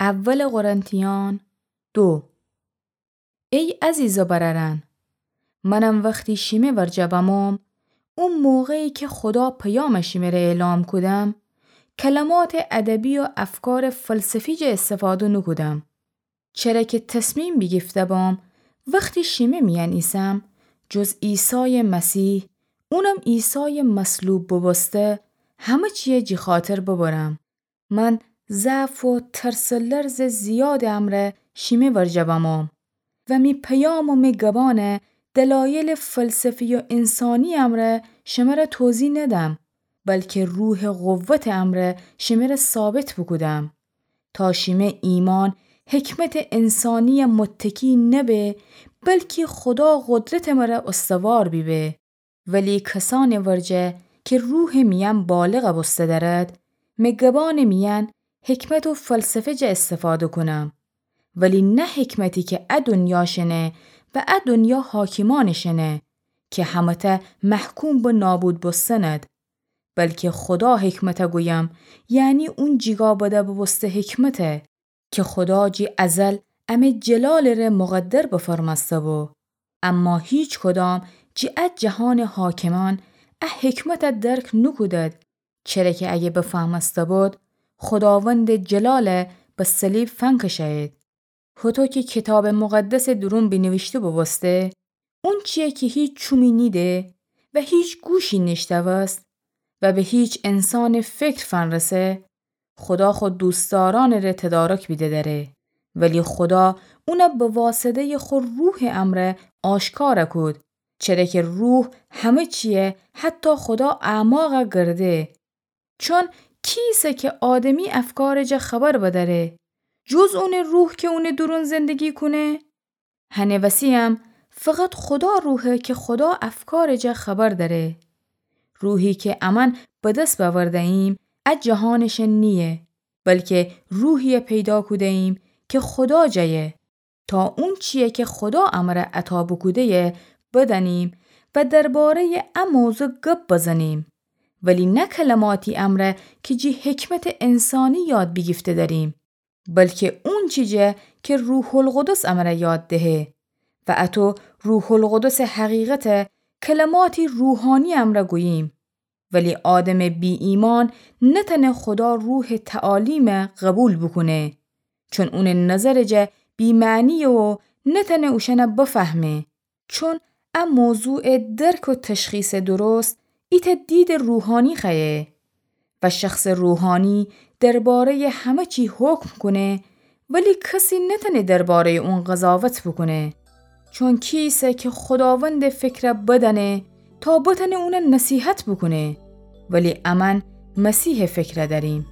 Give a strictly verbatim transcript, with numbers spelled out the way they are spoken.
اول قرنتیان دو. ای عزیزٚ برأرأن، منم وختی شیمه ورجه بموم، او موقعی کی خودا پیامٚ شیمه ره اعلام کودم، کلماتٚ ادبی و افکارٚ فلسفی جا استفاده نوکودم، چره کی تصمیم بیگیفته بوم وختی شیمه میأن ایسم، جز عیسایٚ مسیح، اونم عیسایٚ مصلوب بوبوسته، همه چیه جی خاطر ببرم. من ضعف و ترس و لرزٚ زیادٚ امرأ شیمه ورجه بموم و می پیام و می گبأنٚ دلایلٚ فلسفی و انسانی امرأ شمره توضیح ندم، بلکی روحٚ قوتٚ امرأ شمره ثابت بوکودم، تا شیمه ایمأن حکمتٚ انسانیه متکی نبه، بلکی خودا قدرتٚ مره استوار بیبه. ولی کسأنٚ ورجه کی روحٚ میأن بالغ بوسته دأرد، می گبأنٚ میأن حکمت و فلسفه جا استفاده کونم، ولی نه حکمتی کی ا دنیا شنه و ا دنیا حاکمأنٚ شنه، کی همه‌تأ محکوم به نابود بوستنٚد، بلکی خودا حکمته گویم، یعنی اون جیگا بده بوبوسته حکمته، کی خودا جی ازل امه جلالٚ ره مقدر بفرمأسته بو. اما هیچکدام جی ا جهانٚ حاکمأن ا حکمته درک نوکودد، چره کی اگه بفهمأسته بود، خوداوندٚ جلاله به صلیب فنکشأیید. هوطو کی کیتابٚ مقدسٚ دورون بینیویشته بوبوسته، اونچیی کی هیچ چومی نیده و هیچ گوشی نیشتوست و به هیچ انسانٚ فکر فنرسه، خودا خو دوستدارأنٚ ره تدارک بیده دأره، ولی خودا اونه به واسطه‌یٚ خو روحٚ امرأ آشکار کود، چره کی روح همه چیه، حتی خودا اعماق گرده. چون کیسه کی آدمی افکارٚ جا خبر بدأره، جز اونٚ روح کی اونٚ دورون زندگی کونه؟ هنٚ وسی‌یم فقط خودا روحه کی خودا افکارٚ جا خبر دأره. روحی کی امأن به دس بأورده‌ییم، ا جهانٚ شن نییه، بلکی روحیی پیدا کوده‌ییم کی خودا جایه، تا اونچیی کی خودا امرأ عطا بوکوده‌یه بدأنیم و درباره‌یٚ ا موضوع گب بزنیم، ولی نه کلماتی امرأ کی جی حکمتٚ انسانی یاد بیگیفته دأریم، بلکی اونچی جا کی روح‌القدس امرأ یاد دهه. و اطو روح‌القدسٚ حقیقته کلماتی روحانی امرأ گوییم. ولی آدمٚ بی‌ایمأن نتأنه خودا روحٚ تعالیم قبول بوکونه، چون اونٚ نظرٚ جا بی‌معنییه و نتأنه اوشأن بفهمه. چون ا موضوع درک و تشخیص درست ایتأ دیدٚ روحانی خوأیه و شخصٚ روحانی درباره‌یٚ همه چی حکم کونه، ولی کسی نتأنه درباره‌یٚ اون قضاوت بوکونه. چون کیسه کی خوداوندٚ فکر بدأنه تا بتأنه اون نصیحت بوکونه، ولی امأن مسیحٚ فکر دأریم.